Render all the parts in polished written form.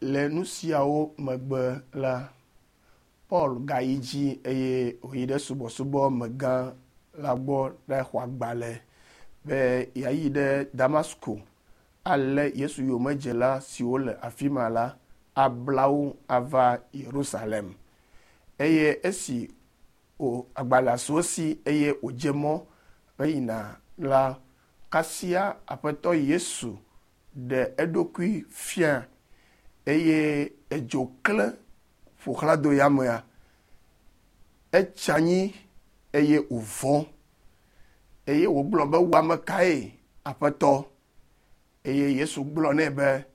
Le nu siawo megbe la, Paul gayi dzi eye wòyi ɖe subɔsubɔmegã la gbɔ ɖaxɔ agbalẽ be yeayi ɖe Damasko alé Yesu yomedzela siwo le afi ma la abla wo ava Yerusalem. Eye esi wò agbalẽa su esi eye wòdze mɔ heyina la, kasia Aƒetɔ Yesu ɖe eɖokui fia eye edzo klẽ ƒo xlã do yamea. Etsi anyi eye wòvɔ̃ eye wògblɔ be, wò ame kae, Aƒetɔ? Eye Yesu gblɔ nɛ be,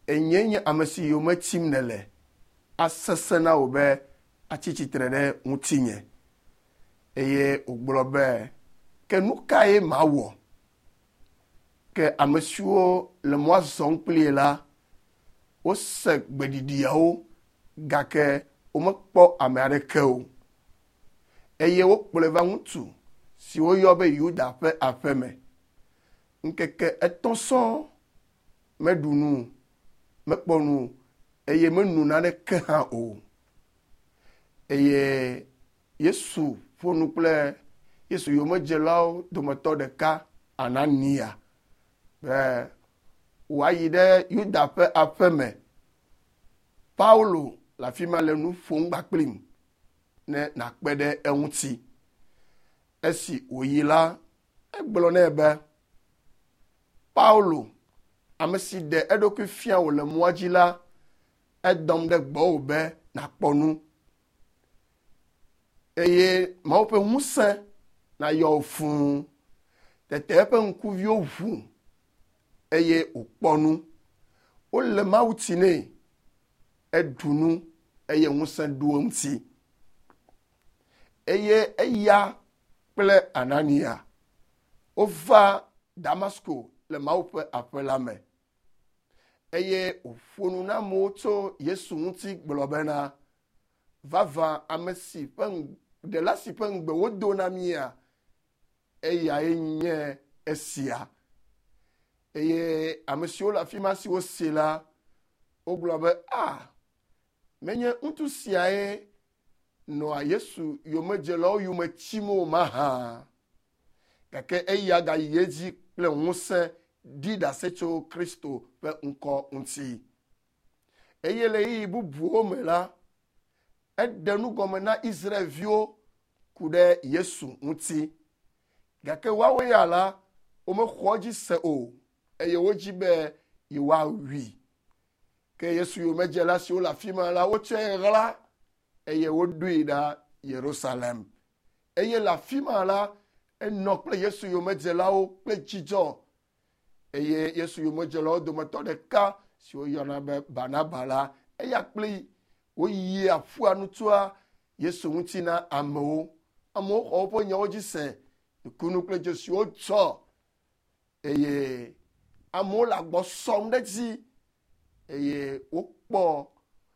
Enyee nye ame si yome tim nèle. Asesẽ na wò be atsi tsitre ɖe ŋutinye. Eye wògblɔ be, Ke nu kae mawɔ? Ke ame siwo le mɔa zɔm kplii la, wose gbeɖiɖiawo gake womekpɔ ame aɖeke o. Eye wokplɔe va ŋutsu si woyɔ be Yuda ƒe aƒeme. Ŋkeke etɔ̃ sɔŋ meɖu nu, mekpɔ nu eye meno naneke hã o. Eye Yesu ƒo nu kple Yesu yomedzelawo dometɔ ɖeka, Anania, be wòayi ɖe Yuda ƒe aƒe me. Paulo le afi ma le nu ƒom kpakplim ne nàkpe ɖe eŋuti. Esi wòyi la, egblɔ nɛ be, Paulo, ame si ɖe eɖokui fia wò le mɔa dzi la, edɔm ɖe gbɔwò be nàkpɔ nu eye Mawu ƒe ŋusẽ nayɔ wò fũu. Tete eƒe ŋkuviwo ʋu eye wòkpɔ nu. Wole mawutsi nɛ, eɖu nu eye ŋusẽ ɖo eŋuti. Eye eya kple Anania wova Damasko le Mawu ƒe aƒe la me. Eye wòƒo nu na amewo tso Yesu ŋuti gblɔ bena, Vavã ame si ƒe ɖela si ƒe ŋugbe wodo na mía, eyae nye esia. Eye ame siwo le afi ma siwo see la, wogblɔ be, A, menye ŋutsu siae nɔa Yesu yomedzelawo yome tim o mahã? Gake eya gayi edzi kple ŋusẽ ɖi ɖase tso Kristo ƒe ŋkɔ ŋuti. Eye le ɣeyiɣi bubuwo me la, eɖe nu gɔme na Israel-viwo ku ɖe Yesu ŋuti. Gake woawo ya la, womexɔ edzi se o, eye wodzi be yewoawui. Ke Yesu yomedzela siwo le afi ma la, wotsɔe ɣla eye woɖoe ɖa Yerusalem. Eye le afi ma la, enɔ kple Yesu yomedzelawo kple dzidzɔ. Eye Yesu yomedzelawo dometɔ ɖeka si woyɔna be Barnaba la, eya kpli woyia ƒua nu tsoa Yesu ŋuti na amewo. Amewo xɔ woƒe nyawo dzi se, nukunu kple dzesiwo dzɔ eye amewo le agbɔ sɔm ɖe edzi eye wokpɔ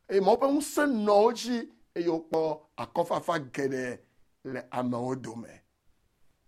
eye Mawu ƒe ŋusẽ nɔ wo dzi eye wokpɔ akɔfafa geɖe le amewo dome.